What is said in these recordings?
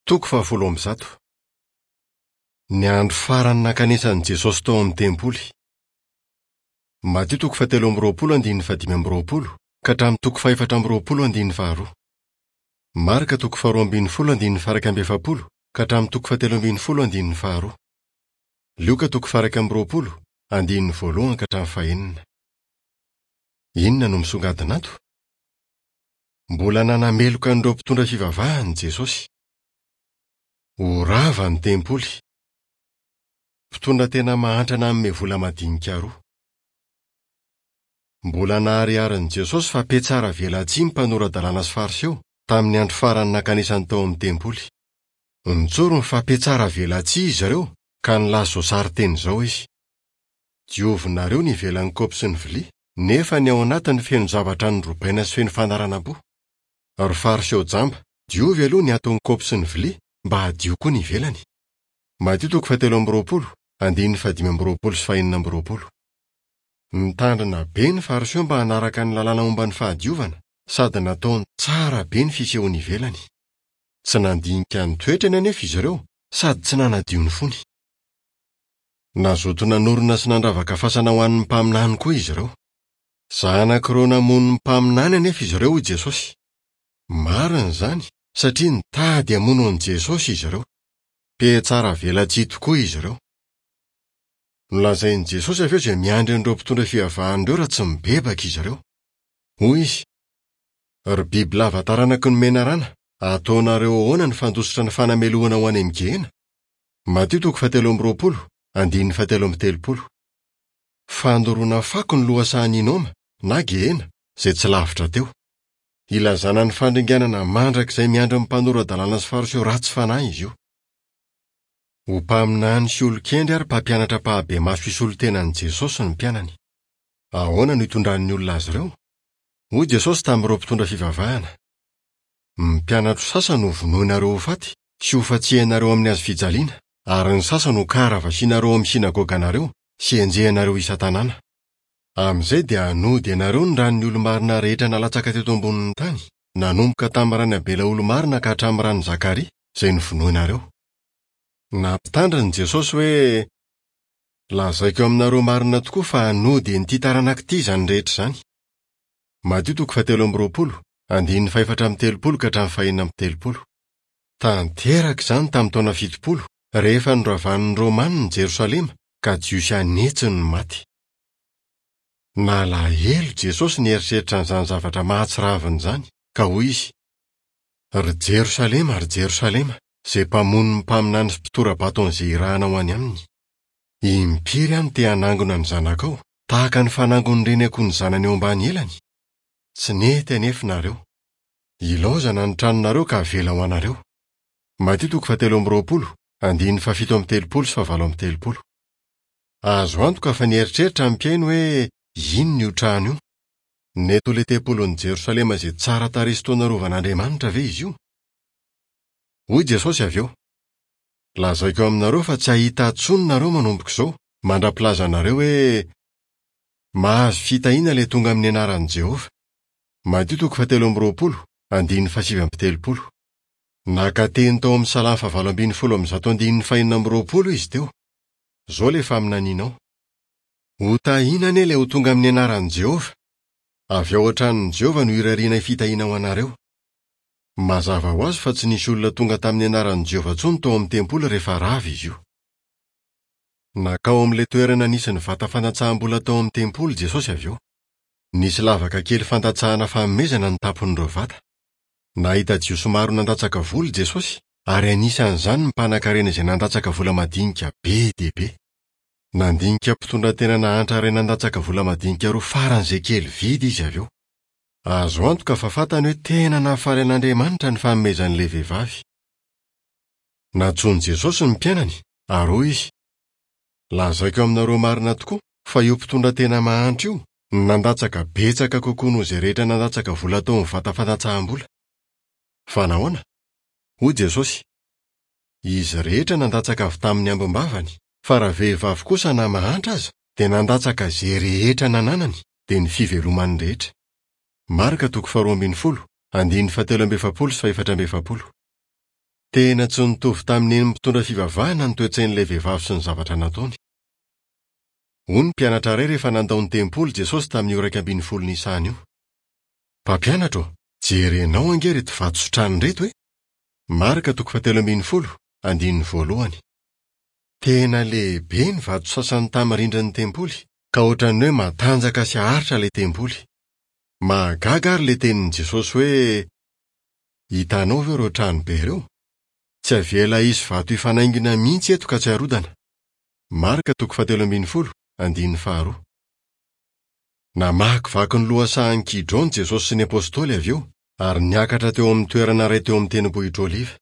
Toko fahafolo amby zato. Ny andro farany nankanesan'i Jesosy tao amin'ny tempoly. Matio toko fahatelo amby 20 andininy fahadimy amby 20 ka hatramin'ny toko fahefatra amby 20 andininy faharoa. Marka toko faharoa ambin'ny folo andininy faha-iraika amby 40 ka hatramin'ny toko fahatelo ambin'ny folo andininy faharoa. Lioka toko faha-iraika amby 20 andininy voalohany ka hatramin'ny fahenina. Inona no misongadina ato? Mbola nanameloka an'ireo mpitondra fivavahana i Jesosy. Ho rava ny tempoly. Mpitondra tena mahantra nanome vola madinika roa. Mbola nahariharin'i Jesosy fa mpiatsara velatsihy ny mpanora-dalàna sy Fariseo, tamin'ny andro farany nankanesany tao amin'ny tempoly. Nitsoriny fa mpiatsara velatsihy izy ireo, ka nilaza izao sarin-teny izao izy, Diovinareo ny ivelan'ny kaopy sy ny vilia, nefa ny ao anatiny feno zavatra norobaina sy feno fanaranam-po. Ry Fariseo jamba, diovy aloha ny aton'ny kaopy sy ny vilia, mba hadio koa ny ivelany. Matio toko fahatelo amby 20, andininy fahadimy amby 20 sy fahenina amby 20. Nitandrina be ny Fariseo mba hanaraka ny lalàna momba ny fahadiovana, sady nataony tsara be ny fisehoany ivelany. Tsy nandinika ny toetrany anefa izy ireo, sady tsy nanadio ny fony. Nazoto nanorina sy nandravaka fasana ho an'ny mpaminany koa izy ireo. Zanak'ireo namono ny mpaminany anefa izy ireo, hoy Jesosy. Marina izany, satria nitady hamono an'i Jesosy izy ireo. Mpihatsara velatsihy tokoa izy ireo. Nolazain'i Jesosy avy eo izay miandry an'ireo mpitondra fivavahana ireo raha tsy mibebaka izy ireo. Hoy izy, Ry bibilava taranaky ny menarana, ataonareo ahoana ny fandositra ny fanamelohana ho any amin'ny Gehena? Matio toko fahatelo amby 20, andininy fahatelo amby 30. Fandoroana fako ny lohasahan'i Hinoma, na Gehena, izay tsy lavitra teo. Ilazana ny fandringanana mandrakizay miandry ny mpanora-dalàna sy Fariseo ratsy fanahy izy io. Ho mpaminany sy olon-kendry ary mpampianatra ampahibemaso hisolo tena an'i Jesosy ny mpianany. Ahoana no hitondran'ny olona azy ireo? Hoy Jesosy tamin'ireo mpitondra fivavahana, Ny mpianatro sasany hovonoinareo ho faty sy hofantsihanareo amin'ny hazo fijaliana, ary ny sasany hokaravasianareo ao amin'ny synagoganareo sy henjehinareo isan-tanàna. Amin'izay dia hanody anareo ny ran'ny olo-marina rehetra nalatsaka teto ambonin'ny tany, nanomboka tamin'ny ran'i Abela olo-marina ka hatramin'ny ran'i Zakaria, izay novonoinareo. Nampitandrina i Jesosy hoe, Lazaiko aminareo marina tokoa fa hanody an'ity taranaka ity izany rehetra izany. Matio toko fahatelo amby 20, andininy fahefatra amby 30 ka hatramin'ny fahenina amby 30. Tanteraka izany tamin'ny taona 70, rehefa noravan'ny Romanina i Jerosalema ka Jiosy an'hetsiny no maty. Nalahelo Jesosy nieritreritra an'izany zavatra mahatsiravina izany, ka hoy izy, Ry Jerosalema, ry Jerosalema, izay mpamono ny mpaminany sy mpitora-bato an'izay irahana ho any aminy! Impiry aho no te hanangona ny zanakao, tahaka ny fanangon'ny reny akoho ny zanany eo ambany elany? Tsy nety anefa nareo. Ilaozana ny tranonareo ka avela ho anareo. Matio toko fahatelo amby 20, andininy fahafito amby 30 sy fahavalo amby 30. Azo antoka fa nieritreritra ny mpihaino hoe inona io trano io. Nety ho ilay tempolin'i Jerosalema izay tsara tarehy sy toa narovan'Andriamanitra ve izy io? Hoy Jesosy avy eo, Lazaiko aminareo fa tsy hahita intsony nareo manomboka izao, mandra-pilazanareo hoe, 'Mahazo fitahiana ilay tonga amin'ny anaran'i Jehovah. Matio toko fahatelo amby 20, andininy fahasivy amby 30. Naka teny tao amin'ny Salamo fahavalo ambin'ny folo amby zato andininy fahenina amby 20 izy teo. Izao ilay faminaniana ao. Hotahiana anie ilay ho tonga amin'ny anaran'i Jehovah! Avy ao an-tranon'i Jehovah no irarianay fitahiana ho anareo. Mazava ho azy fa tsy nisy olona tonga tamin'ny anaran'i Jehovah intsony tao amin'ny tempoly rehefa rava izy io. Nankao amin'ilay toerana nisy ny vata fandatsaham-bola tao amin'ny tempoly Jesosy avy eo. Nisy lavaka kely fandatsahana fanomezana ny tampon'ireo vata. Nahita Jiosy maro nandatsaka vola i Jesosy, ary anisan'izany ny mpanankarena izay nandatsaka vola madinika be dia be. Nandinika mpitondra tena nahantra iray nandatsaka vola madinika roa faran'izay kely vidy izy avy eo. Azo antoka fa fantany hoe tena nahafaly an'Andriamanitra ny fanomezan'ilay vehivavy. Nantsoin'i Jesosy ny mpianany, ary hoy izy, Lazaiko aminareo marina tokoa fa io mpitondra tena mahantra io no nandatsaka betsaka kokoa noho izay rehetra nandatsaka vola tao amin'ny vata fandatsaham-bola. Fa nahoana? Hoy Jesosy, Izy rehetra nandatsaka avy tamin'ny ambim-bavany, fa ravehivavy kosa na mahantra aza dia nandatsaka izay rehetra nananany, dia ny fivelomany rehetra. Marka toko faharoa ambin'ny folo, andininy fahatelo amby efapolo sy fahefatra amby efapolo. Tena tsy nitovy tamin'ny nen'ny mpitondra fivavahana ny toe-tsain'ilay vehivavy sy ny zavatra nataony. Hoy ny mpianatra iray rehefa nandao ny tempoly Jesosy tamin'io 11 Nisana io. Mpampianatra ô, jerenao ange ireto vato sy trano ireto e! Marka toko fahatelo ambin'ny folo, andininy voalohany. Tena lehibe ny vato sasany tamin'ny rindrin'ny tempoly, ka hoatran'ny hoe matanjaka sy haharitra ilay tempoly. Mahagaga àry ilay tenin'i Jesosy hoe, Hitanao ve ireo trano be ireo? Tsy avela hisy vato hifanaingina mihitsy eto ka tsy harodana. Marka toko fahatelo ambin'ny folo, andininy faharoa. Namakivaky ny lohasahan'i Kidrona Jesosy sy ny apostoly avy eo, ary niakatra teo amin'ny toerana iray teo amin'ny Tendrombohitra Oliva.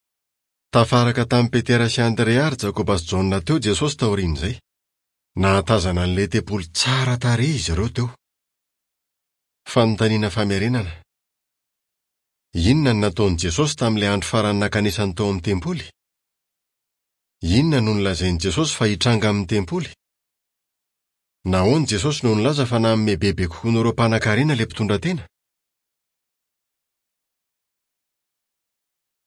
Tafaraka tamin'i Petera sy Andrea ary Jakoba sy Jaona teo Jesosy taorian'izay. Nahatazana an'ilay tempoly tsara tarehy izy ireo teo. Fanontaniana famerenana. Inona no nataon'i Jesosy tamin'ilay andro farany nankanesany tao amin'ny tempoly? Inona no nolazain'i Jesosy fa hitranga amin'ny tempoly? Nahoana Jesosy no nilaza fa nanome bebe kokoa noho ireo mpanankarena ilay mpitondratena?